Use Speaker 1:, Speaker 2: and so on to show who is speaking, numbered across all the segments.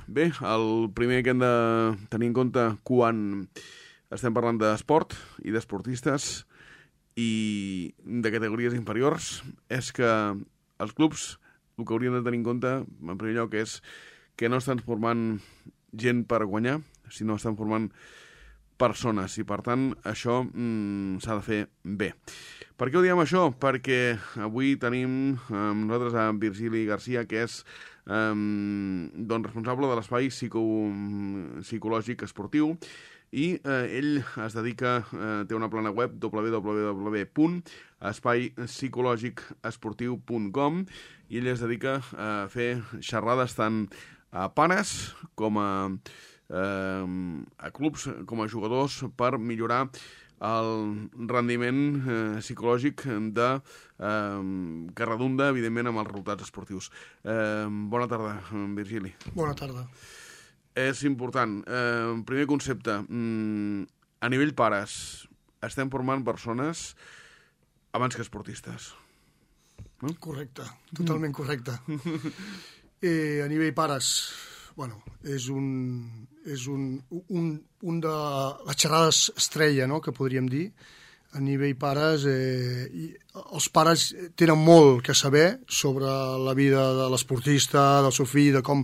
Speaker 1: Bé, el primer que hem de tenir en compte quan estem parlant d'esport i d'esportistes i de categories inferiors és que els clubs el que haurien de tenir en compte, en primer lloc, és que no estan formant gent per guanyar, sinó estan formant persones, i per tant això s'ha de fer bé. Per què ho diem això? Perquè avui tenim amb nosaltres a Virgili Garcia, que és responsable de l'espai psicològic esportiu, i ell es dedica, té una plana web www.espaiPsicològicesportiu.com, i ell es dedica a fer xerrades tant a pares com a clubs, com a jugadors, per millorar el rendiment psicològic que redunda, evidentment, amb els resultats esportius. Bona tarda, Virgili.
Speaker 2: Bona tarda.
Speaker 1: És important. Primer concepte. A nivell pares, estem formant persones abans que esportistes. No?
Speaker 2: Correcte, totalment correcte. A nivell pares, bueno, és un de les xerrades estrella, no?, que podríem dir. A nivell pares, els pares tenen molt que saber sobre la vida de l'esportista, del seu fill, de com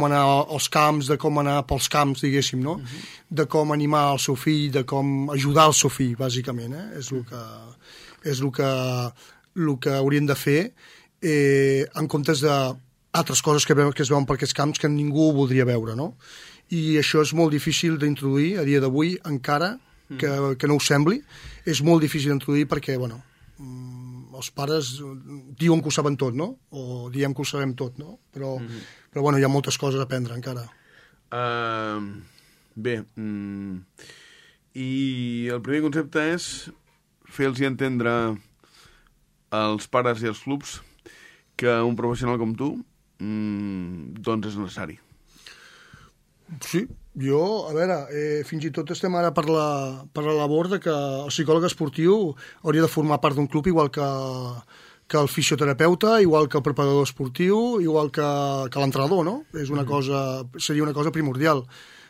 Speaker 2: anar als camps, de com anar pels camps, diguéssim, no? De com animar el seu fill, de com ajudar el seu fill, bàsicament, És el que haurien de fer, en comptes d'altres coses que es veuen per aquests camps que ningú voldria veure, no? I això és molt difícil d'introduir a dia d'avui, encara que no ho sembli. És molt difícil d'introduir perquè, bueno, els pares diuen que ho saben tot, no? O diem que ho sabem tot, no? Però bueno, hi ha moltes coses a aprendre encara.
Speaker 1: Bé, i el primer concepte és fer-los entendre als pares i als clubs que un professional com tu doncs és necessari.
Speaker 2: Sí, jo, a veure, fins i tot estem ara per la labor de que el psicòleg esportiu hauria de formar part d'un club igual que el fisioterapeuta, igual que el preparador esportiu, igual que l'entrenador, no? Seria una cosa primordial.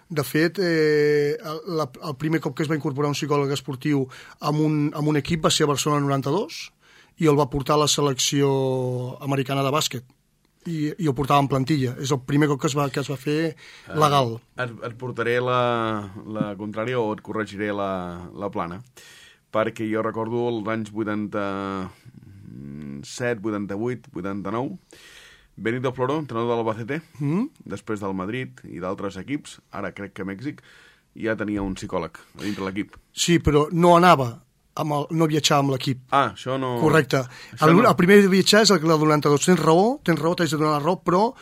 Speaker 2: De fet, el primer cop que es va incorporar un psicòleg esportiu amb un equip va ser a Barcelona 92 i el va portar a la selecció americana de bàsquet. I ho portava en plantilla. És el primer cop que es va fer legal.
Speaker 1: Et portaré la contrària o et corregiré la plana, perquè jo recordo els anys 87, 88, 89, Benito Floro, entrenador de l'Albacete, després del Madrid i d'altres equips, ara crec que Mèxic, ja tenia un psicòleg a dintre l'equip.
Speaker 2: Sí, però no anava, no viatjava amb l'equip.
Speaker 1: Ah, això no...
Speaker 2: Correcte. El primer de viatjar és el del 92. Tens raó, t'haig de donar la raó, però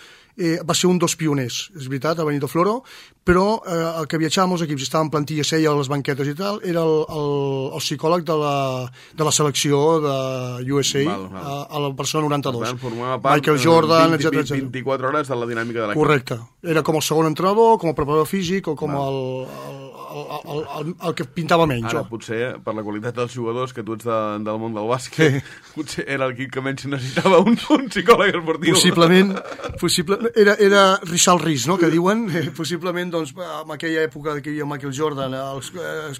Speaker 2: va ser un dels pioners, és veritat, el Benito Floro, però el que viatjava amb els equips, estava en plantilla, seia a les banquetes i tal, era el psicòleg de la selecció de USA a la Barcelona 92. Michael Jordan, etc.
Speaker 1: 24 hores de la dinàmica de l'equip.
Speaker 2: Correcte. Era com el segon entrenador, com el preparador físic o com el que pintava menys.
Speaker 1: Ara, potser, per la qualitat dels jugadors, que tu ets del món del bàsquet, potser era l'equip que menys necessitava un psicòleg esportiu.
Speaker 2: Possiblement, era Richard Rees, no?, que diuen, possiblement, doncs, en aquella època que hi havia Michael Jordan,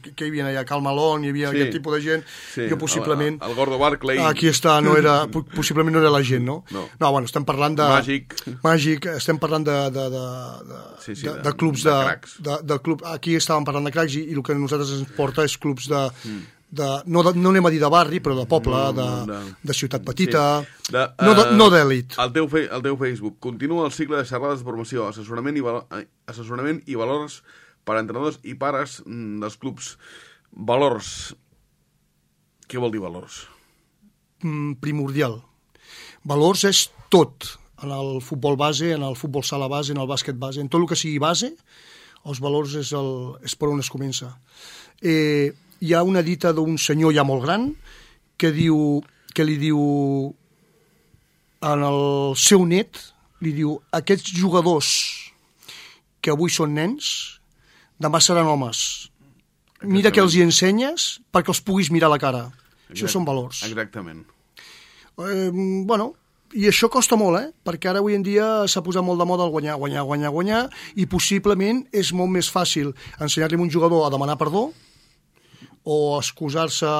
Speaker 2: que hi havia allà Karl Malone, hi havia aquest tipus de gent, jo possiblement...
Speaker 1: El Gordo Barclay.
Speaker 2: Aquí està, possiblement no era la gent, no? No, bueno, estem parlant de... Màgic, estem parlant de clubs de club. Aquí estàvem parlant de cracs i el que a nosaltres ens porta és clubs no anem a dir de barri, però de poble, de ciutat petita, no d'èlit.
Speaker 1: El teu Facebook continua el cicle de xerrades de formació, assessorament i valors per a entrenadors i pares dels clubs. Valors. Què vol dir valors?
Speaker 2: Primordial. Valors és tot. En el futbol base, en el futbol sala base, en el bàsquet base, en tot el que sigui base, els valors és per on es comença. Hi ha una dita d'un senyor ja molt gran que li diu en el seu net, li diu, aquests jugadors que avui són nens, demà seran homes. Mira que els hi ensenyes perquè els puguis mirar a la cara. Això són valors.
Speaker 1: Exactament.
Speaker 2: Bueno, I això costa molt, perquè ara avui en dia s'ha posat molt de moda el guanyar, i possiblement és molt més fàcil ensenyar-li a un jugador a demanar perdó, o excusar-se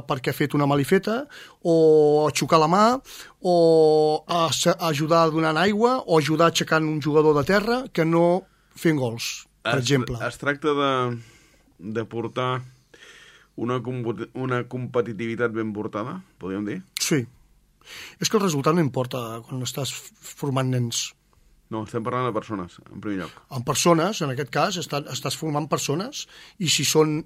Speaker 2: perquè ha fet una malifeta, o xocar la mà, o ajudar donant aigua, o ajudar aixecant un jugador de terra, que no fent gols, per exemple.
Speaker 1: Es tracta de portar una competitivitat ben portada, podríem dir?
Speaker 2: Sí. És que el resultat no importa quan estàs formant nens.
Speaker 1: No, estem parlant de persones, en primer lloc.
Speaker 2: En persones, en aquest cas, estàs formant persones, i si són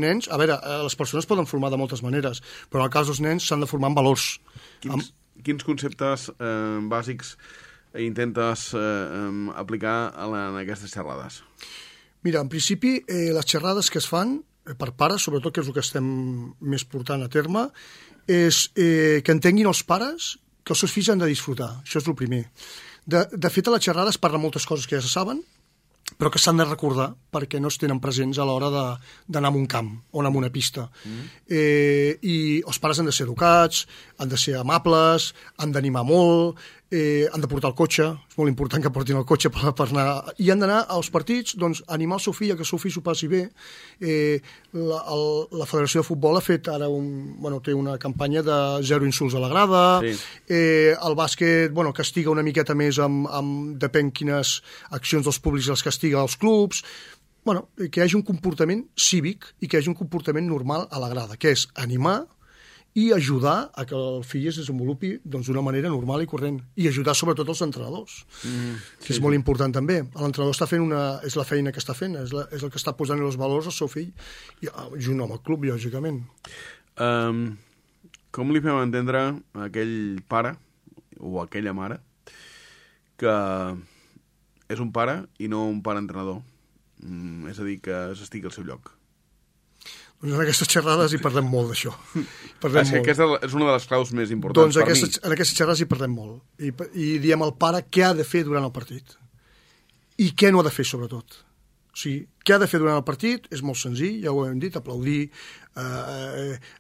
Speaker 2: nens... A veure, les persones poden formar de moltes maneres, però en el cas dels nens s'han de formar en valors.
Speaker 1: Quins conceptes bàsics intentes aplicar en aquestes xerrades?
Speaker 2: Mira, en principi, les xerrades que es fan per pares, sobretot que és el que estem més portant a terme, és que entenguin els pares que els seus fills han de disfrutar. Això és el primer. De fet, a la xerrada es parla moltes coses que ja se saben, però que s'han de recordar perquè no es tenen presents a l'hora d'anar a un camp o anar a una pista. I els pares han de ser educats, han de ser amables, han d'animar molt, han de portar el cotxe, és molt important que portin el cotxe per anar... I han d'anar als partits, doncs, animar el seu fill a que el seu fill s'ho passi bé. La Federació de Futbol ha fet ara té una campanya de 0 insults a la grada, sí. El bàsquet castiga una miqueta més depèn quines accions dels públics els castiga als clubs, que hi hagi un comportament cívic i que hi hagi un comportament normal a la grada, que és animar i ajudar a que el fill es desenvolupi d'una manera normal i corrent. I ajudar sobretot els entrenadors, que és molt important també. L'entrenador està fent és la feina que està fent, és el que està posant els valors al seu fill, junt amb el club, lògicament.
Speaker 1: Com li fem entendre a aquell pare o a aquella mare que és un pare i no un pare entrenador? És a dir, que s'estigui al seu lloc.
Speaker 2: Doncs en aquestes xerrades hi parlem molt d'això.
Speaker 1: Aquesta és una de les claus més importants per mi.
Speaker 2: En aquestes xerrades hi parlem molt. I diem al pare què ha de fer durant el partit. I què no ha de fer, sobretot. O sigui, què ha de fer durant el partit és molt senzill, ja ho hem dit, aplaudir,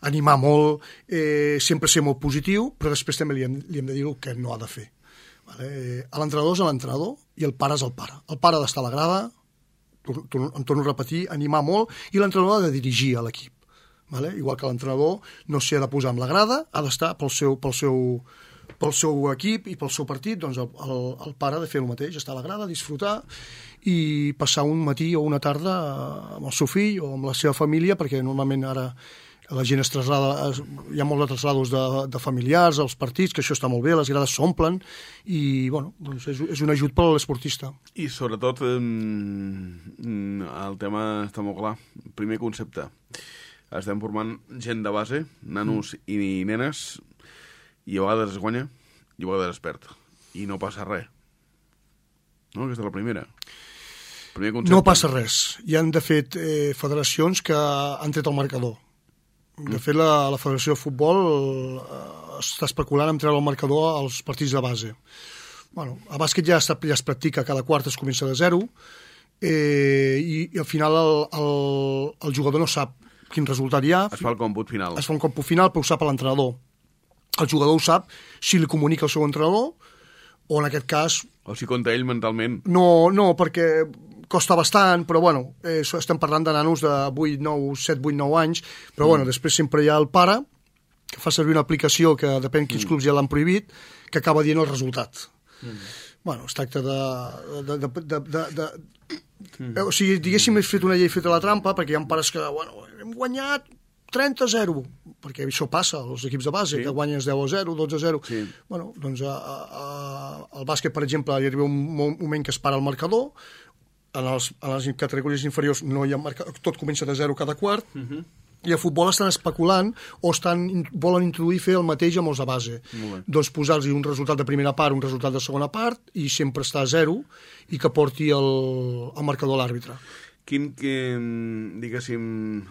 Speaker 2: animar molt, sempre ser molt positiu, però després també li hem de dir el que no ha de fer. L'entrenador és l'entrenador i el pare és el pare. El pare ha d'estar a la grada, em torno a repetir, animar molt, i l'entrenador ha de dirigir a l'equip. Igual que l'entrenador no s'hi ha de posar amb la grada, ha d'estar pel seu equip i pel seu partit, doncs el pare ha de fer el mateix, estar a la grada, disfrutar i passar un matí o una tarda amb el seu fill o amb la seva família, perquè normalment ara la gent es traslada, hi ha molts de traslados de familiars als partits, que això està molt bé, les grades s'omplen i és un ajut per a l'esportista.
Speaker 1: I sobretot el tema està molt clar. Primer concepte, estem formant gent de base, nanos i nenes, i a vegades es guanya i a vegades es perd i no passa res, no? Aquesta és la primera.
Speaker 2: No passa res. Hi han de fet federacions que han tret el marcador. De fet, la Federació de Futbol està especulant en treure el marcador als partits de base. A bàsquet ja es practica, cada quart es comença de 0 i al final el jugador no sap quin resultat hi ha.
Speaker 1: Es fa el còmput final.
Speaker 2: Es fa un còmput final, però ho sap l'entrenador. El jugador ho sap si li comunica al seu entrenador o en aquest cas...
Speaker 1: O si compta ell mentalment.
Speaker 2: No, perquè costa bastant, però estem parlant de nanos de 7, 8, 9 anys, però després sempre hi ha el pare que fa servir una aplicació que depèn quins clubs ja l'han prohibit, que acaba dient el resultat. Es tracta o sigui, diguéssim, he fet una llei feta a la trampa, perquè hi ha pares que, hem guanyat 30-0, perquè això passa als equips de base, que guanyen 10-0, 12-0. Sí. Al bàsquet, per exemple, hi arriba un moment que es para el marcador, en les categories inferiors no hi ha tot comença de 0 cada quart, i a futbol estan especulant o volen introduir fer el mateix amb els de base. Doncs posar-los un resultat de primera part, un resultat de segona part, i sempre està a 0 i que porti el marcador a l'àrbitre.
Speaker 1: Diguéssim,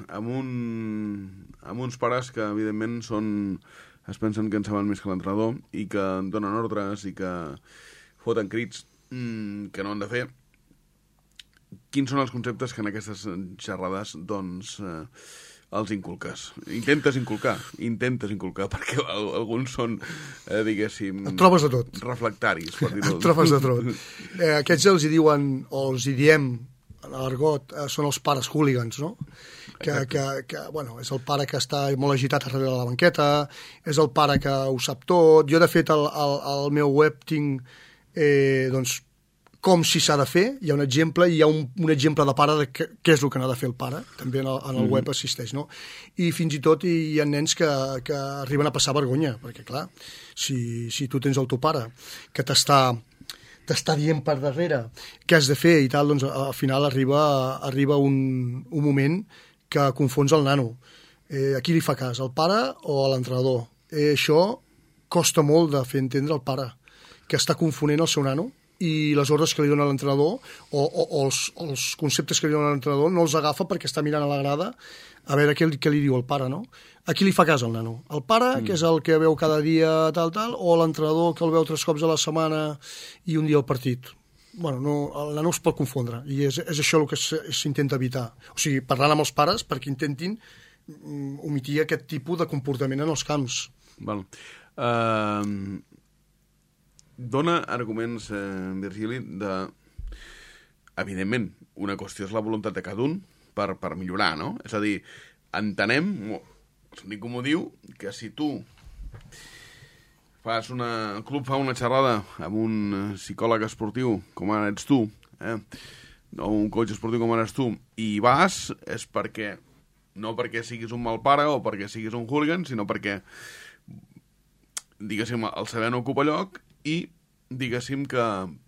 Speaker 1: amb uns pares que evidentment es pensen que en saben més que l'entrenador i que donen ordres i que foten crits que no han de fer. Quins són els conceptes que en aquestes xerrades els inculques. Intentes inculcar, perquè alguns són, diguéssim...
Speaker 2: Et trobes de tot.
Speaker 1: Reflectaris, per dir-ho.
Speaker 2: Et trobes de tot. Aquests els hi diuen, o els hi diem, en l'argot, són els pares hooligans, no? Que bueno, és el pare que està molt agitat darrere de la banqueta, és el pare que ho sap tot. Jo, de fet, al meu web tinc, doncs, com si s'ha de fer, hi ha un exemple, i hi ha un exemple de pare de què és el que n'ha de fer el pare, també en el web assisteix, no? I fins i tot hi ha nens que arriben a passar vergonya, perquè clar, si tu tens el teu pare que t'està dient per darrere què has de fer i tal, doncs al final arriba un moment que confons el nano. A qui li fa cas, al pare o a l'entrenador? Això costa molt de fer entendre al pare, que està confonent el seu nano, i les ordres que li dona l'entrenador o els conceptes que li dona l'entrenador no els agafa perquè està mirant a la grada a veure què li diu el pare, no? A qui li fa cas el nano? El pare, que és el que veu cada dia tal, o l'entrenador que el veu 3 cops a la setmana i un dia al partit? Bueno, no, el nano es pot confondre i és això el que s'intenta evitar. O sigui, parlant amb els pares perquè intentin omitir aquest tipus de comportament en els camps.
Speaker 1: Val. Dona arguments, Virgili, evidentment, una qüestió és la voluntat de cada un per millorar, no? És a dir, entenem, el sentit comú diu, que si tu el club fa una xerrada amb un psicòleg esportiu, com ara ets tu, o un coach esportiu com ara ets tu, i vas, és perquè, no perquè siguis un mal pare o perquè siguis un hooligan, sinó perquè, diguéssim, el saber no ocupa lloc, i diguéssim que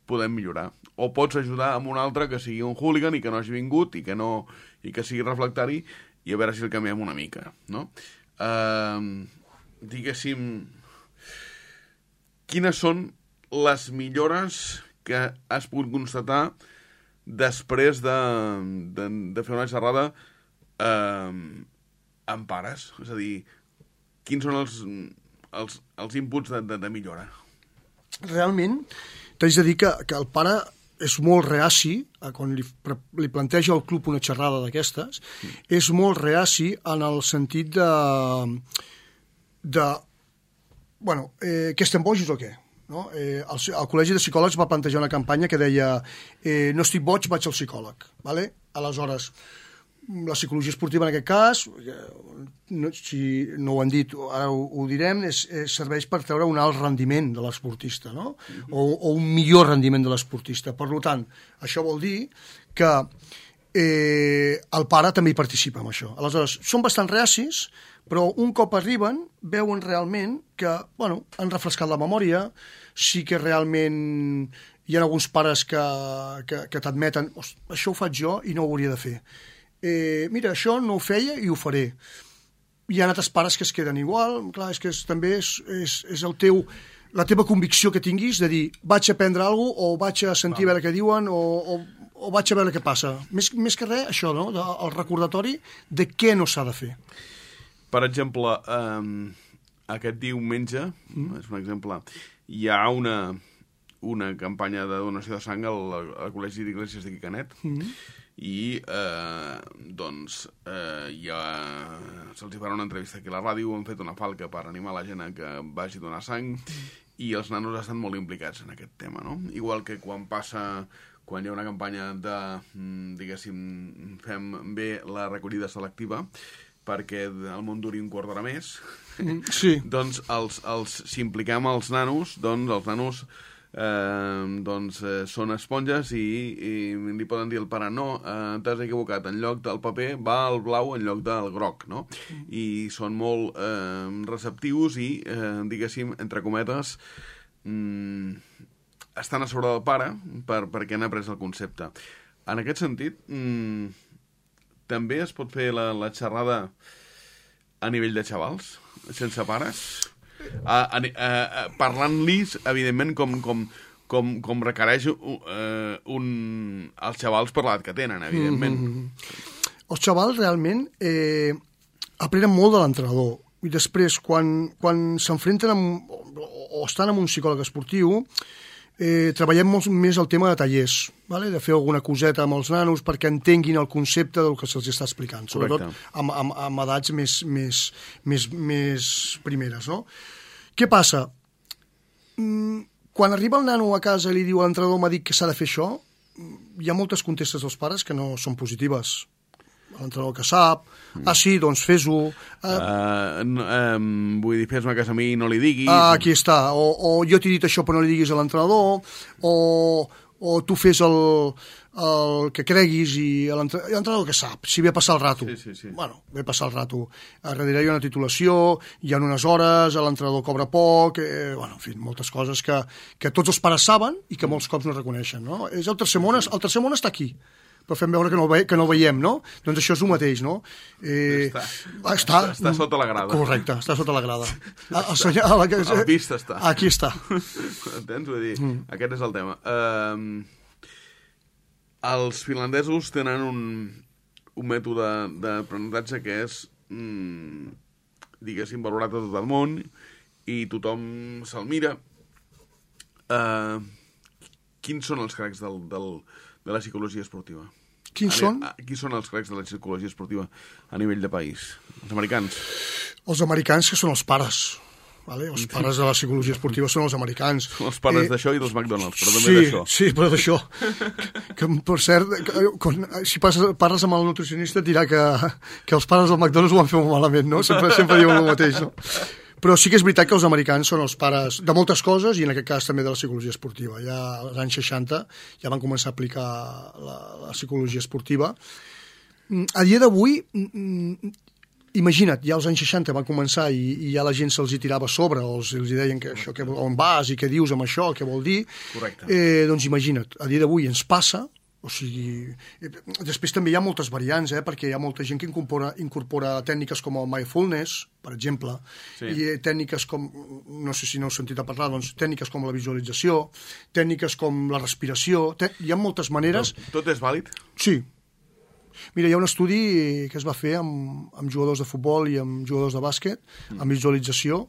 Speaker 1: podem millorar. O pots ajudar amb un altre que sigui un hooligan i que no hagi vingut i que sigui reflectari i a veure si el canviem una mica, no? Diguéssim, quines són les millores que has pogut constatar després de fer una xerrada amb pares? És a dir, quins són els inputs de millora?
Speaker 2: Realment, t'haig de dir que el pare és molt reaci, quan li planteja al club una xerrada d'aquestes, és molt reaci en el sentit bueno, que estem bojos o què? No? El Col·legi de Psicòlegs va plantejar una campanya que deia no estic boig, vaig al psicòleg. ¿Vale? Aleshores, la psicologia esportiva en aquest cas, si no ho han dit, ara ho direm, serveix per treure un alt rendiment de l'esportista, no? O un millor rendiment de l'esportista. Per tant, això vol dir que el pare també hi participa en això. Aleshores, són bastant reacis, però un cop arriben, veuen realment que, bueno, han refrescat la memòria, sí que realment hi ha alguns pares que t'admeten això ho faig jo i no ho hauria de fer. Mira, això no ho feia i ho faré. Hi ha altres pares que es queden igual, clar, és que també és la teva convicció que tinguis de dir, vaig a aprendre alguna cosa, o vaig a sentir a veure què diuen, o vaig a veure què passa. Més que res, això, no? El recordatori de què no s'ha de fer.
Speaker 1: Per exemple, aquest diumenge, és un exemple, hi ha una campanya de donació de sang al Col·legi d'Iglesias d'aquí Canet, i doncs ja se'ls farà una entrevista aquí a la ràdio, han fet una falca per animar la gent a que vagi a donar sang i els nanos estan molt implicats en aquest tema, no? Igual que quan hi ha una campanya de, diguéssim, fem bé la recollida selectiva perquè el món duri un quart d'hora més,
Speaker 2: sí.
Speaker 1: Doncs si impliquem els nanos, doncs els nanos són esponges i li poden dir al pare no, t'has equivocat, en lloc del paper va el blau en lloc del groc, no? I són molt receptius i, diguéssim, entre cometes, estan a sobre del pare perquè han après el concepte. En aquest sentit, també es pot fer la xerrada a nivell de xavals, sense pares? Parlant-los, evidentment, com requereix els xavals per l'edat que tenen, evidentment.
Speaker 2: Els xavals realment aprenen molt de l'entrenador i després, quan s'enfrenten o estan amb un psicòleg esportiu, treballem molt més el tema de tallers, vale? De fer alguna coseta amb els nanos perquè entenguin el concepte del que se'ls està explicant, sobretot amb edats més primeres, no? Què passa? Quan arriba el nano a casa i li diu a l'entrenador m'ha dit que s'ha de fer això, hi ha moltes contestes dels pares que no són positives. L'entrenador que sap, sí, doncs fes-ho.
Speaker 1: Vull dir, fes-me cas a mi i no li diguis.
Speaker 2: Aquí està, o jo t'he dit això però no li diguis a l'entrenador, o tu fes el que creguis i l'entrenador que sap, si ve a passar el rato.
Speaker 1: Sí.
Speaker 2: Bueno, ve a passar el rato. A darrere hi ha una titulació, hi ha unes hores, l'entrenador cobra poc, bueno, en fi, moltes coses que tots els pares saben i que molts cops no reconeixen, no? És el tercer món està aquí, però fem veure que no el veiem, no? Doncs això és el mateix, no?
Speaker 1: Està sota la grada.
Speaker 2: Correcte, està sota la grada.
Speaker 1: A la pista està.
Speaker 2: Aquí està.
Speaker 1: Entens? Vull dir, aquest és el tema. Els finlandesos tenen un mètode d'aprenentatge que és, diguéssim, valorat a tot el món i tothom se'l mira. Quins són els cracs de la psicologia esportiva?
Speaker 2: Qui són
Speaker 1: els cracs de la psicologia esportiva a nivell de país? Els americans?
Speaker 2: Els americans, que són els pares. Vale? Els pares de la psicologia esportiva són els americans.
Speaker 1: Són els pares d'això i dels McDonald's, però també d'això.
Speaker 2: Sí, però d'això. Que, per cert, si parles amb el nutricionista et dirà que els pares del McDonald's ho van fer molt malament, no? Sempre diuen el mateix, no? Però sí que és veritat que els americans són els pares de moltes coses i en aquest cas també de la psicologia esportiva. Ja als anys 60 ja van començar a aplicar la psicologia esportiva. A dia d'avui, imagina't, ja als anys 60 van començar i ja la gent se'ls hi tirava a sobre o els deien que això, on vas i què dius amb això, què vol dir.
Speaker 1: Correcte.
Speaker 2: Doncs imagina't, a dia d'avui ens passa. O sigui, després també hi ha moltes variants, perquè hi ha molta gent que incorpora tècniques com el mindfulness, per exemple, i tècniques com, no sé si no heu sentit a parlar, doncs tècniques com la visualització, tècniques com la respiració, hi ha moltes maneres.
Speaker 1: Tot és vàlid?
Speaker 2: Sí. Mira, hi ha un estudi que es va fer amb jugadors de futbol i amb jugadors de bàsquet, amb visualització.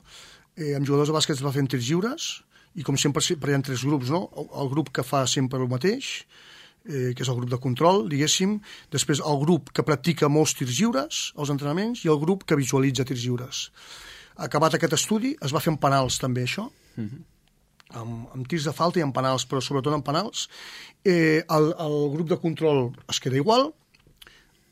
Speaker 2: Amb jugadors de bàsquet es va fer en tirs lliures, i com sempre hi ha 3 grups, no? El grup que fa sempre el mateix, que és el grup de control, diguéssim, després el grup que practica molts tirs lliures, els entrenaments, i el grup que visualitza tirs lliures. Acabat aquest estudi, es va fer en penals també, això, amb tirs de falta i en penals, però sobretot en penals. El grup de control es queda igual,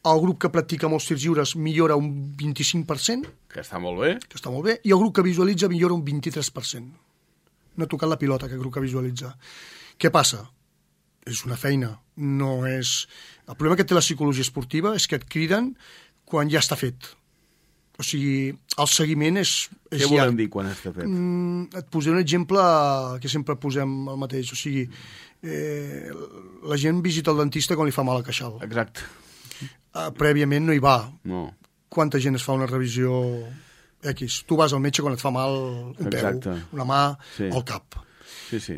Speaker 2: el grup que practica molts tirs lliures millora un 25%,
Speaker 1: que està molt bé,
Speaker 2: i el grup que visualitza millora un 23%. No ha tocat la pilota, aquest grup que visualitza. Què passa? És una feina, no és... El problema que té la psicologia esportiva és que et criden quan ja està fet. O sigui, el seguiment és
Speaker 1: Què volem dir quan està fet?
Speaker 2: Et posaré un exemple que sempre posem el mateix. O sigui, la gent visita el dentista quan li fa mal al queixal.
Speaker 1: Exacte.
Speaker 2: Prèviament no hi va.
Speaker 1: No.
Speaker 2: Quanta gent es fa una revisió X? Tu vas al metge quan et fa mal un peu, una mà, el cap.
Speaker 1: Sí.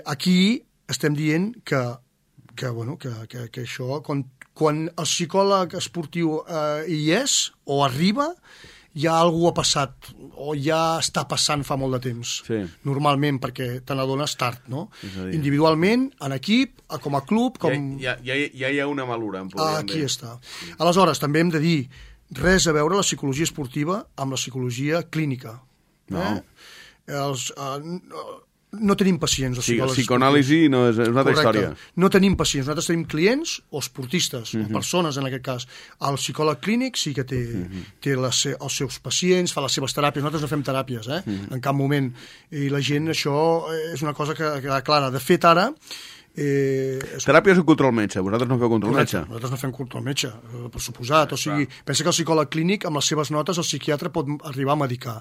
Speaker 2: Aquí estem dient que això, quan el psicòleg esportiu hi és o arriba, ja algú ha passat o ja està passant fa molt de temps.
Speaker 1: Sí.
Speaker 2: Normalment, perquè te n'adones tard, no? Individualment, en equip, com a club...
Speaker 1: Ja hi ha una malura, em podríem dir.
Speaker 2: Aquí està. Aleshores, també hem de dir res a veure la psicologia esportiva amb la psicologia clínica.
Speaker 1: No.
Speaker 2: No tenim pacients. O sigui,
Speaker 1: psicoanàlisi no és una altra història.
Speaker 2: No tenim pacients, nosaltres tenim clients o esportistes, o persones en aquest cas. El psicòleg clínic sí que té els seus pacients, fa les seves teràpies. Nosaltres no fem teràpies, en cap moment. I la gent, això és una cosa que queda clara. De fet, ara...
Speaker 1: Teràpia és un control metge, vosaltres no feu control metge.
Speaker 2: Nosaltres no fem control metge, per suposat. O sigui, pensa que el psicòleg clínic, amb les seves notes, el psiquiatre pot arribar a medicar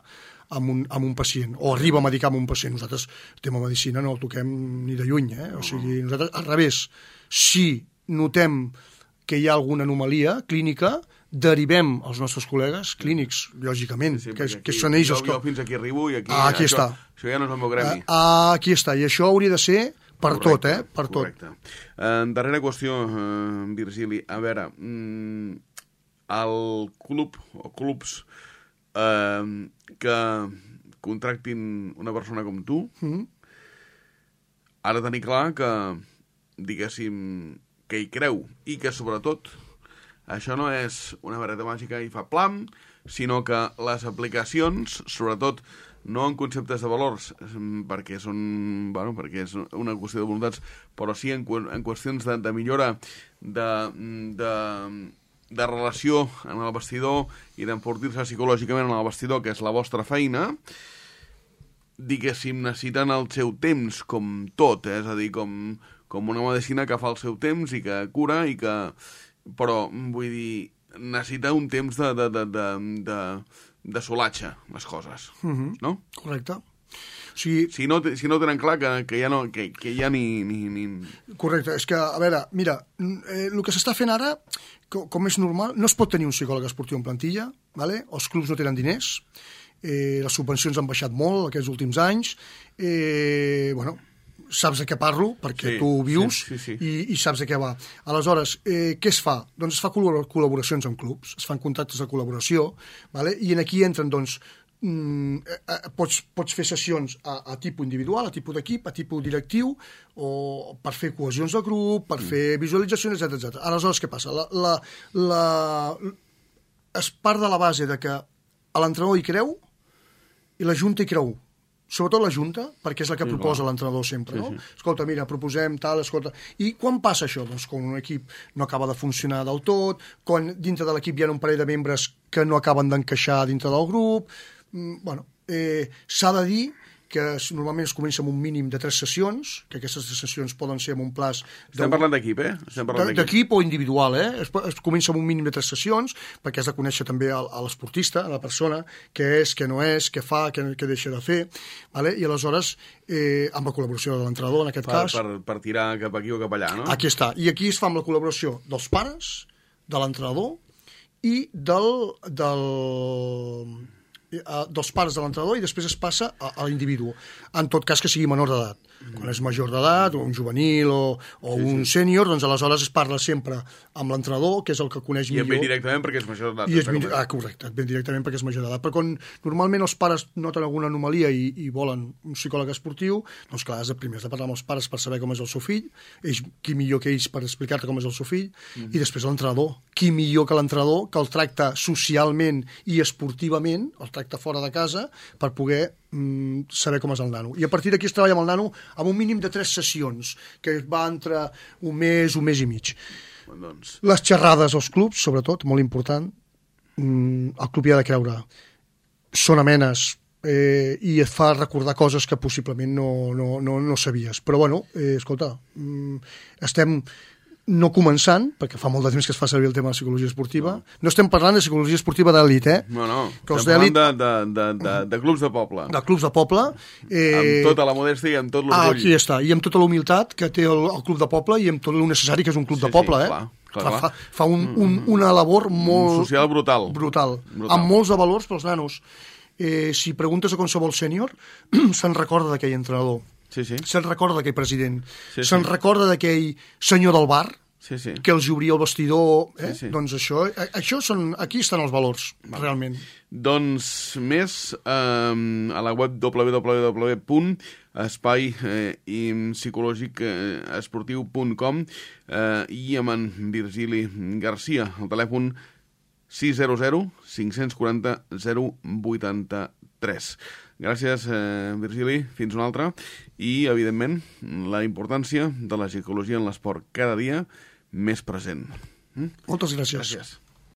Speaker 2: amb un pacient, o arriba a medicar amb un pacient. Nosaltres, el tema medicina, no el toquem ni de lluny, O sigui, nosaltres, al revés, si notem que hi ha alguna anomalia clínica, derivem els nostres col·legues clínics, lògicament, que són ells els que...
Speaker 1: Jo fins aquí arribo i aquí...
Speaker 2: Aquí està.
Speaker 1: Això ja no és el meu gremi.
Speaker 2: Aquí està, i això hauria de ser... Per tot.
Speaker 1: Correcte. Darrera qüestió, Virgili. A veure, el club o clubs que contractin una persona com tu ha de tenir clar que, diguéssim, que hi creu i que, sobretot, això no és una vareta màgica i fa plam, sinó que les aplicacions, sobretot, no en conceptes de valors, perquè és una qüestió de voluntats, però sí en qüestions de millora de relació en el vestidor i d'enfortir-se psicològicament en el vestidor, que és la vostra feina, diguéssim, necessiten el seu temps, com tot, és a dir, com una medicina que fa el seu temps i que cura, però, vull dir, necessita un temps de solatge, les coses, no?
Speaker 2: Correcte. O sigui,
Speaker 1: si no tenen clar que ja ni...
Speaker 2: Correcte, és que, a veure, mira, el que s'està fent ara, com és normal, no es pot tenir un psicòleg esportiu en plantilla, ¿vale? Els clubs no tenen diners, les subvencions han baixat molt aquests últims anys, saps de què parlo, perquè tu ho vius, i saps de què va. Aleshores, què es fa? Doncs es fa col·laboracions amb clubs, es fan contractes de col·laboració, ¿vale? I aquí entren, doncs, pots fer sessions a tipus individual, a tipus d'equip, a tipus directiu, o per fer cohesions de grup, per fer visualitzacions, etc. Aleshores, què passa? Es part de la base de que l'entrenador hi creu i la Junta hi creu. Sobretot la Junta, perquè és la que proposa l'entrenador sempre, no? Escolta, mira, proposem tal, escolta... I quan passa això? Doncs quan un equip no acaba de funcionar del tot, quan dintre de l'equip hi ha un parell de membres que no acaben d'encaixar dintre del grup... s'ha de dir que normalment es comença amb un mínim de 3 sessions, que aquestes 3 sessions poden ser amb un plaç...
Speaker 1: Estem parlant d'equip,
Speaker 2: d'equip o individual, Es comença amb un mínim de 3 sessions, perquè has de conèixer també a l'esportista, a la persona, què és, què no és, què fa, què deixa de fer, ¿vale? I aleshores, amb la col·laboració de l'entrenador, en aquest cas...
Speaker 1: Per tirar cap aquí o cap allà, no?
Speaker 2: Aquí està. I aquí es fa amb la col·laboració dels pares, de l'entrenador i dels pares de l'entrenador, i després es passa a l'individu, en tot cas que sigui menor d'edat. Quan és major d'edat, o un juvenil o un sènior, doncs aleshores es parla sempre amb l'entrenador, que és el que coneix millor.
Speaker 1: I et ve directament perquè és major d'edat.
Speaker 2: Correcte, et ve directament perquè és major d'edat. Però quan normalment els pares noten alguna anomalia i volen un psicòleg esportiu, doncs clar, primer has de parlar amb els pares per saber com és el seu fill, qui millor que ells per explicar-te com és el seu fill, i després l'entrenador. Qui millor que l'entrenador, que el tracta socialment i esportivament, el tracta fora de casa, per poder saber com és el nano. I a partir d'aquí es treballa amb el nano amb un mínim de 3 sessions, que va entre un mes i mig.
Speaker 1: Doncs...
Speaker 2: Les xerrades als clubs, sobretot, molt important, el club hi ha de creure. Són amenes i et fa recordar coses que possiblement no sabies. Però, bueno, escolta, estem... no començant, perquè fa molt de temps que es fa servir el tema de psicologia esportiva. No estem parlant de psicologia esportiva d'elit,
Speaker 1: No. Estem parlant de clubs de poble.
Speaker 2: De clubs de poble.
Speaker 1: Amb tota la modèstia i amb tot l'orgull.
Speaker 2: Aquí està, i amb tota la humilitat que té el club de poble i amb tot el necessari que és un club de poble,
Speaker 1: Clar.
Speaker 2: Fa una labor molt...
Speaker 1: social brutal.
Speaker 2: Amb molts de valors pels nanos. Si preguntes a qualsevol sènior, se'n recorda d'aquell entrenador. Se'n recorda d'aquell president. Se'n recorda d'aquell senyor del bar que els obria el vestidor. Doncs això són... Aquí estan els valors, realment.
Speaker 1: Doncs més a la web www.espai-psicològic-esportiu.com i amb en Virgili Garcia, el telèfon 600 540 083. Gràcies, Virgili. Fins una altra. I, evidentment, la importància de la psicologia en l'esport cada dia més present.
Speaker 2: Moltes gràcies.